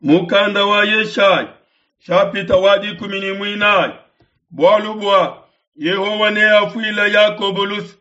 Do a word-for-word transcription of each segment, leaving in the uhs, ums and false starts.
Mukanda wa Yeshaya nshapita wa dikumi ne muinayi. Bualu bua Yehowa neafuile Yakobo luse,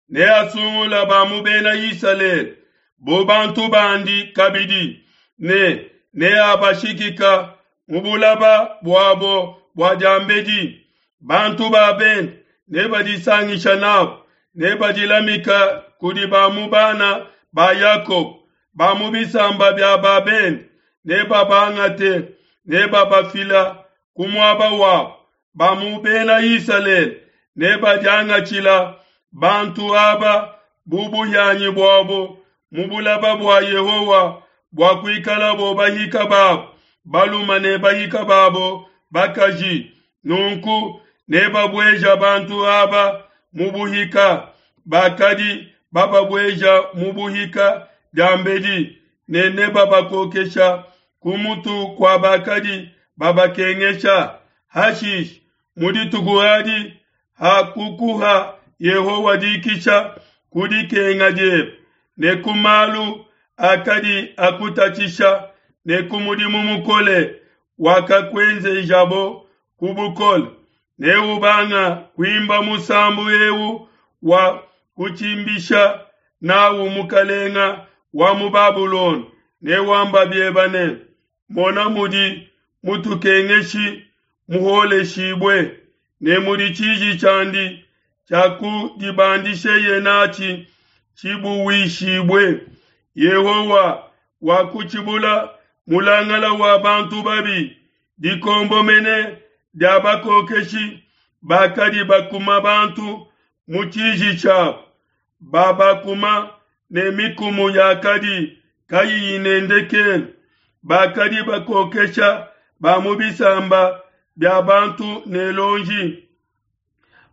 neasungula ba mu bena Isalele bu bantu bandi kabidi, ne neabashikika mu bulaba buabo bua diambedi. Bantu ba bende nebadisangisha nabo, nebadilamika kudi ba mu bana ba Yakobo, ba mu bisamba bia ba bende nebabangate, nebabafila ku muaba wabo. Ba mu bena Isalele nebadiangatshila bantu aba bu buhianyi buabo mu bulaba bua Yehowa, bua kuikalabo bahika babo balume ne bahika babo bakaji. Nunku nebabueja bantu aba mu buhika, bakadi bababueja mu buhika diambedi, ne nebabakokesha ku mutu kua bakadi babakengesha. Hashishe mu dituku adi hakukuha Yehowa dikisha ku dikenga diebe, ne ku malu akadi akutatshisha, ne ku mudimu mukole wakakuenzejabo ku bukole, neubanga kuimba musambu eu wa kutshimbisha nawu mukalenga wa mu Babulona, newamba bieba ne: Mona mudi mutukengeshi muholeshibue, ne mudi tshiji tshiandi tshiakudibandisheye natshi tshibuwishibue. Yehowa wakutshibula mulangala wa bantu babi, dikombo mene dia bakokeshi bakadi bakuma bantu mu tshiji tshiabo, babakuma ne mikumu yakadi kayiyi ne ndekelu, bakadi bakokesha ba mu bisamba bia bantu ne lonji,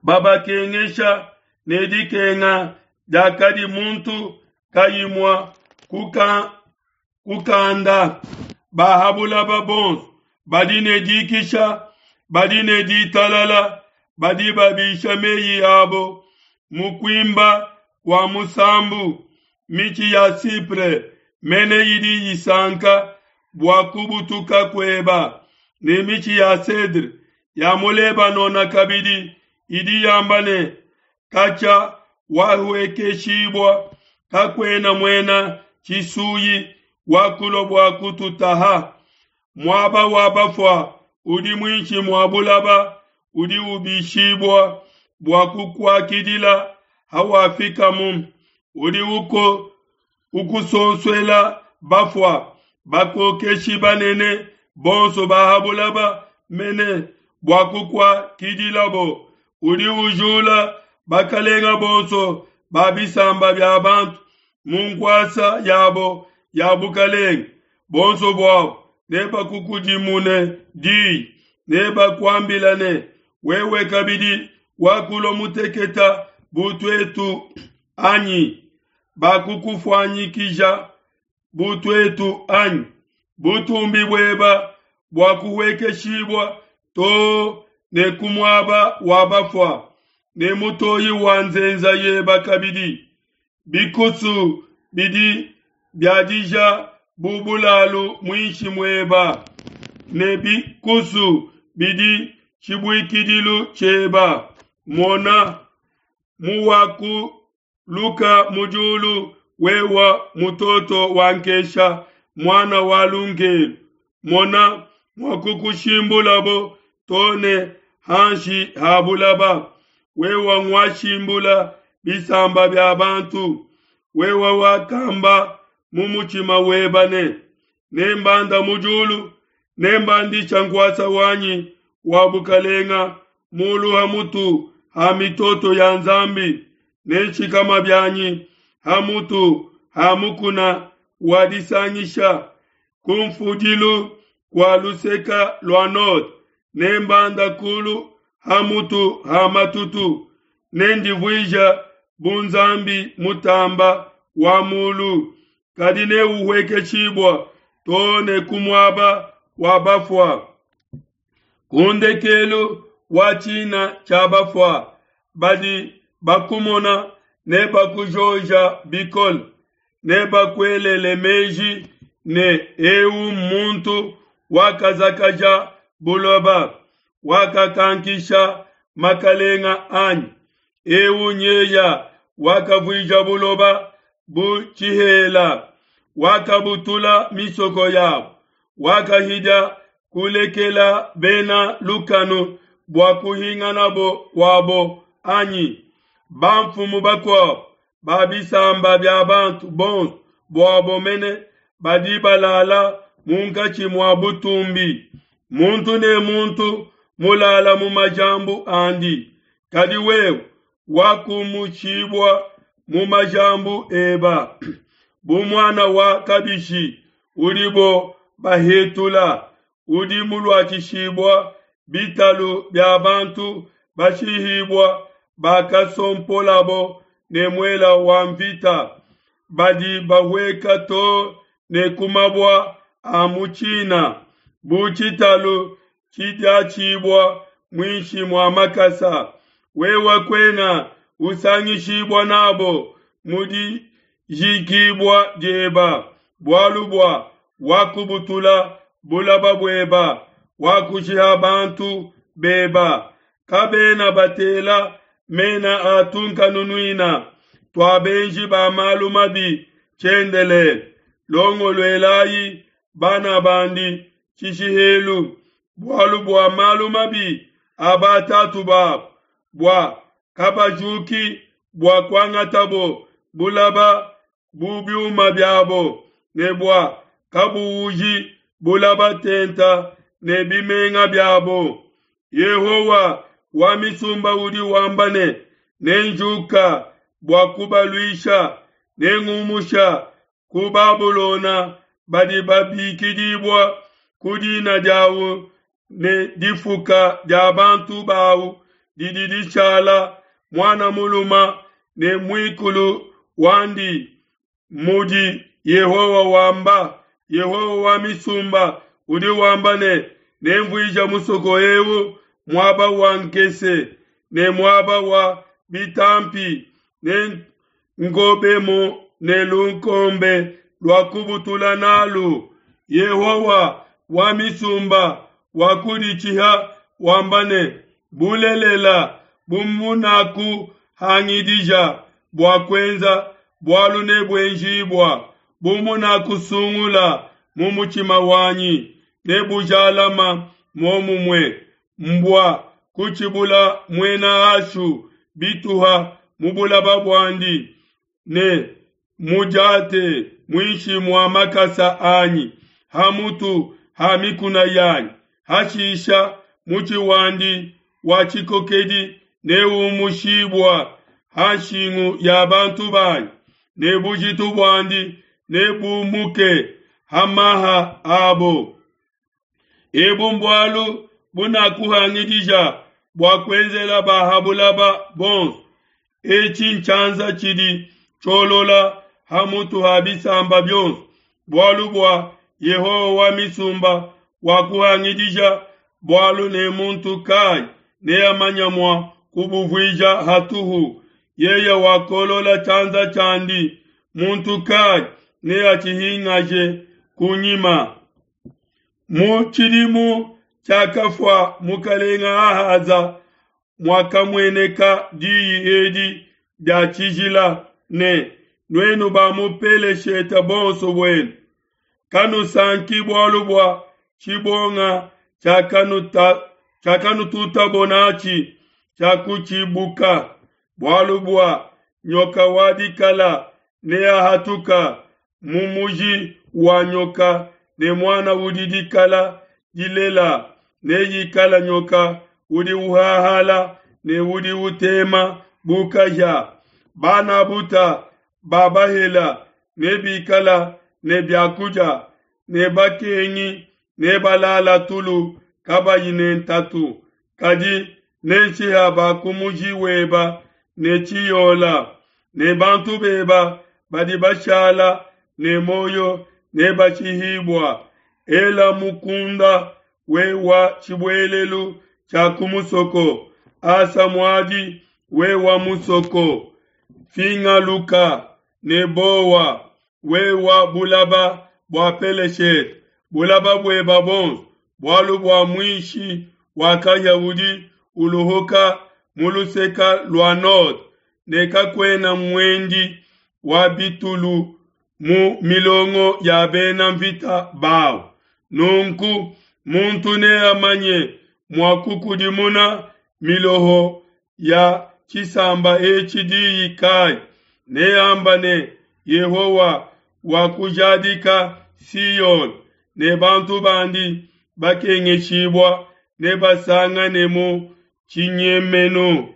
babakengesha ne dikenga diakadi muntu kayi mua kuka, kukanda. Ba ha bulaba bonso badi ne dikisha, badi ne ditalala, badi babisha meyi abo mu kuimba kua musambu. Mitshi ya Sipre mene idi isanka bua kubutuka kueba, ne mitshi ya cedre ya mu Lebanona kabidi idi yamba ne: Katshia wahuekeshibua, kakuena muena tshisuyi wakulua bua kututaha. Muaba wa bafua udi muinshi mua bulaba udi ubishibua bua kukuakidila hawafikamu. Udi uko ukusonsuela bafua, bakokeshi banene bonso ba ha bulaba mene bua kukuakidilabo. Udi ujula bakalenga bonso ba bisamba bia bantu mu nkuasa yabo ya bukalenge, bonso buabo nebakukudimune diyi, nebakuambila ne: Wewe kabidi wakulua muteketa bu tuetu anyi? Bakukufuanyikija bu tuetu anyi? Butumbi bueba buakuhuekeshibua too ne ku muaba wa bafua, ne mutoyi wa nzenza yeba kabidi. Bikusu bidi biadija bu bulalu muinshi mueba, ne bikusu bidi tshibuikidilu tshieba. Mona muwakuluka mu diulu, wewa mutoto wa nkesha, muana wa lungelu. Mona muakukushimbulabo too ne hanshi ha bulaba. Wewa nguashimbula bisamba bia bantu. Wewa wakamba mu mutshima weba ne: Nembanda mu diulu, nembandisha nkuasa wanyi wa bukalenga mulu ha mutu ha mitoto ya Nzambi, nenshikama bianyi ha mutu ha mukuna wa disangisha, ku mfudilu kua luseka lua node, nembanda kulu ha mutu ha matutu, nendivuija bu Nzambi mutamba wa mulu. Kadi neuhuekeshibua too ne ku muaba wa bafua, ku ndekelu wa tshina tshia bafua. Badi bakumona nebakujoja bikole, nebakuelele meji ne, Eu mmuntu wakazakaja buloba, wakakankisha makalenga anyi? Eu nyeya wakavuija buloba bu tshihela, wakabutula misoko yabo, wakahidia kulekela bena lukanu bua kuhinganabo kuabo anyi? Bamfumu bakuabo ba bisamba bia bantu bonso buabo mene badi balala munkatshi mua butumbi, muntu ne muntu mulala mu majambu andi. Kadi wewe wakumushibua mu majambu eba bu muana wa kabishi udibo bahetula, udi muluatshishibua bitalu bia bantu bashihibua bakasompolabo ne muela wa nvita, badi bahueka to ne ku mabua a mu tshina, bu tshitalu tshidiatshibua muinshi mua makasa. Wewe kuena usangishibua n'abo mu dijikibua dieba, bualu bua wakubutula bulaba bueba, wakushiha bantu beba. Kabena batela mena a tunkanunuina tua benji ba malu mabi tshiendelele. Longoluelayi bana bandi tshishihelu, bualu bua malu mabi a batatu babo, bua kabajuki bua kuangatabo bulaba bu biuma biabo, ne bua kabuuji bulaba tenta ne bimenga biabo. Yehowa wa misumba udi wamba ne, Nenjuka bua kubaluisha, nengumusha ku Babulona badi babikidibua ku dina diawu, ne difuka dia bantu bawu didi dishala muana muluma ne muikulu wandi, mudi Yehowa wamba. Yehowa wa misumba udi wamba ne, Nenvuija musoko eu muaba wa nkese ne muaba wa bitampi, nengobemu ne lukombe lua kubutula nalu. Yehowa wa misumba wakuditshiha wamba ne, Bulelela, bu munakuhangidija bua kuenza, bualu nebuenjibua, bu munakusungula mu mutshima wanyi, nebujalama muomumue. Mbua kutshibula muena Ashu bituha mu bulaba buandi, ne mudiate muinshi mua makasa anyi ha mutu ha mikuna yanyi. Hashisha mutshi wandi wa tshikokedi neumushibua ha nshingu ya bantu banyi, ne bujitu buandi nebumuke ha maha abo. Ebu mbualu bunakuhangidija bua kuenzela ba ha bulaba bonso. Etshi ntshianza tshidi tshiolola ha mutu ha bisamba bionso, bualu bua Yehowa wa misumba wakuhangidija bualu, ne muntu kai neamanya mua kubuvuija hatuhu? Yeye wakolola tshianza tshiandi, muntu kai neatshihingaje kunyima? Mu tshidimu tshiakafua mukalenga Ahaza, muakamueneka diyi edi dia tshijila ne, Nuenu ba mu Peleshete bonso buenu, kanusanki bualu bua tshibonga tshiakanututabo natshi tshiakutshibuka, bualu bua nyoka wa dikala neahatuka mu muji wa nyoka, ne muana udi dikala dilela neikala nyoka udi uhahala ne udi utema bu kahia. Bana buta ba bahela nebikala ne biakudia, ne bakengi nebalala tulu kabayi ne ntatu. Kadi nenshiha ba ku muji weba ne tshiyola, ne bantu beba badi bashala ne muoyo nebashihibua. Ela mukunda we wa tshibuelelu tshia ku musoko, asa muadi we wa musoko, fingaluka ne bowa, we wa bulaba bua Peleshete bulaba bueba bonso, bualu bua muishi wa kahia udi uluhuka mu luseke lua node, ne kakuena muendi wa bitulu mu milongo ya bena nvita bau. Nunku muntu neamanye mua kukudimuna miloho ya tshisamba etshi diyi kai? Neamba ne, Yehowa wakujadika Siona, ne bantu bandi bakengeshibua nebasanganemu tshinyemenu.